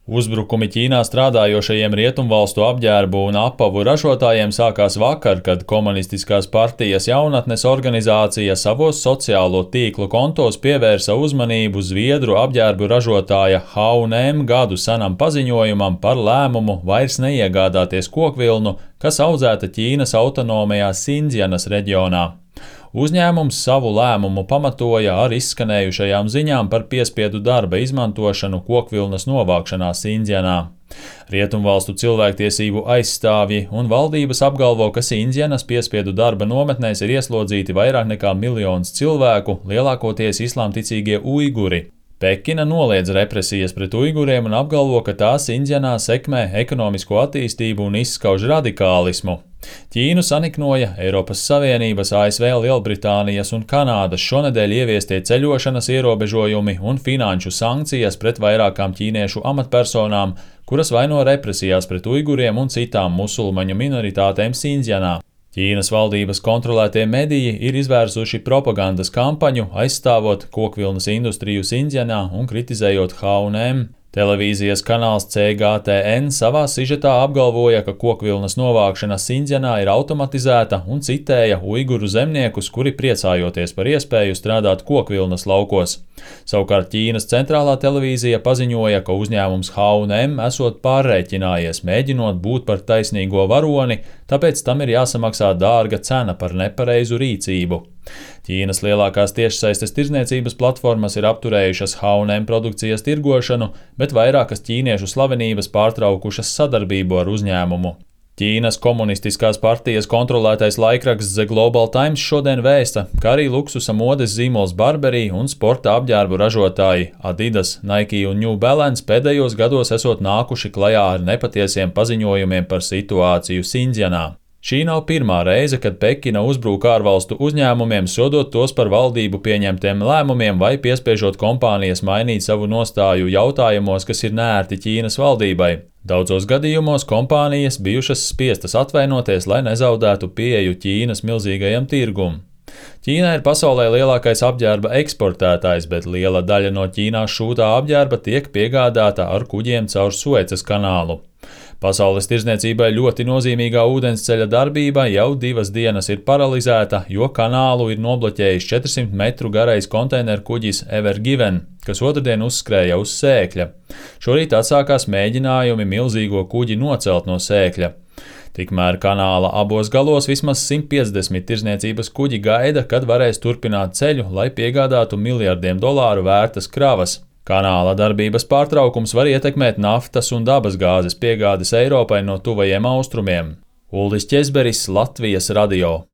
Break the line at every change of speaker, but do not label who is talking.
Uzbrukumi Ķīnā strādājošajiem rietumvalstu apģērbu un apavu ražotājiem sākās vakar, kad Komunistiskās partijas jaunatnes organizācija savos sociālo tīklu kontos pievērsa uzmanību Zviedru apģērbu ražotāja H&M gadu senam paziņojumam par lēmumu vairs neiegādāties kokvilnu, kas audzēta Ķīnas autonomajā Sindzjanas reģionā. Uzņēmums savu lēmumu pamatoja ar izskanējušajām ziņām par piespiedu darba izmantošanu kokvilnas novākšanā Sindzjanā. Rietumvalstu cilvēktiesību aizstāvji un valdības apgalvo, ka Sindzjanas piespiedu darba nometnēs ir ieslodzīti vairāk nekā 1 miljons cilvēku, lielākoties islāmticīgie uiguri. Pekina noliedz represijas pret uiguriem un apgalvo, ka tā Sindzjanā sekmē ekonomisko attīstību un izskauž radikālismu. Ķīnu saniknoja Eiropas Savienības, ASV, Lielbritānijas un Kanādas šonedēļ ieviestie ceļošanas ierobežojumi un finanšu sankcijas pret vairākām ķīniešu amatpersonām, kuras vaino represijās pret uiguriem un citām musulmaņu minoritātēm Sindzjanā. Ķīnas valdības kontrolētie mediji ir izvērsuši propagandas kampaņu, aizstāvot kokvilnas industriju Sindzjanā un kritizējot H&M. Televīzijas kanāls CGTN savā sižetā apgalvoja, ka kokvilnas novākšana Sindzjanā ir automatizēta un citēja uiguru zemniekus, kuri priecājoties par iespēju strādāt kokvilnas laukos. Savukārt Ķīnas centrālā televīzija paziņoja, ka uzņēmums H&M esot pārrēķinājies, mēģinot būt par taisnīgo varoni, tāpēc tam ir jāsamaksā dārga cena par nepareizu rīcību. Ķīnas lielākās tiešsaistes tirdzniecības platformas ir apturējušas H&M produkcijas tirgošanu, bet vairākas ķīniešu slavenības pārtraukušas sadarbību ar uzņēmumu. Ķīnas Komunistiskās partijas kontrolētais laikraksts The Global Times šodien vēsta, ka arī luksusa modes zīmols Burberry un sporta apģērbu ražotāji Adidas, Nike un New Balance pēdējos gados esot nākuši klajā ar nepatiesiem paziņojumiem par situāciju Sindzjanā. Šī nav pirmā reize, kad Pekina uzbrūk ārvalstu uzņēmumiem, sodot tos par valdību pieņemtiem lēmumiem vai piespiežot kompānijas mainīt savu nostāju jautājumos, kas ir neērti Ķīnas valdībai. Daudzos gadījumos kompānijas bijušas spiestas atvainoties, lai nezaudētu pieeju Ķīnas milzīgajam tirgum. Ķīna ir pasaulē lielākais apģērba eksportētājs, bet liela daļa no Ķīnā šūtā apģērba tiek piegādāta ar kuģiem caur Suecas kanālu. Pasaules tirdzniecībai ļoti nozīmīgā ūdensceļa darbība jau 2 dienas ir paralizēta, jo kanālu ir nobloķējis 400 metru garais konteineru kuģis Ever Given, kas otrdien uzskrēja uz Sēkļa. Šorīt atsākās mēģinājumi milzīgo kuģi nocelt no Sēkļa. Tikmēr kanāla abos galos vismaz 150 tirdzniecības kuģi gaida, kad varēs turpināt ceļu, lai piegādātu miljardiem dolāru vērtas kravas. Kanāla darbības pārtraukums var ietekmēt naftas un dabasgāzes piegādes Eiropai no tuvajiem austrumiem. Uldis Ķezberis, Latvijas radio.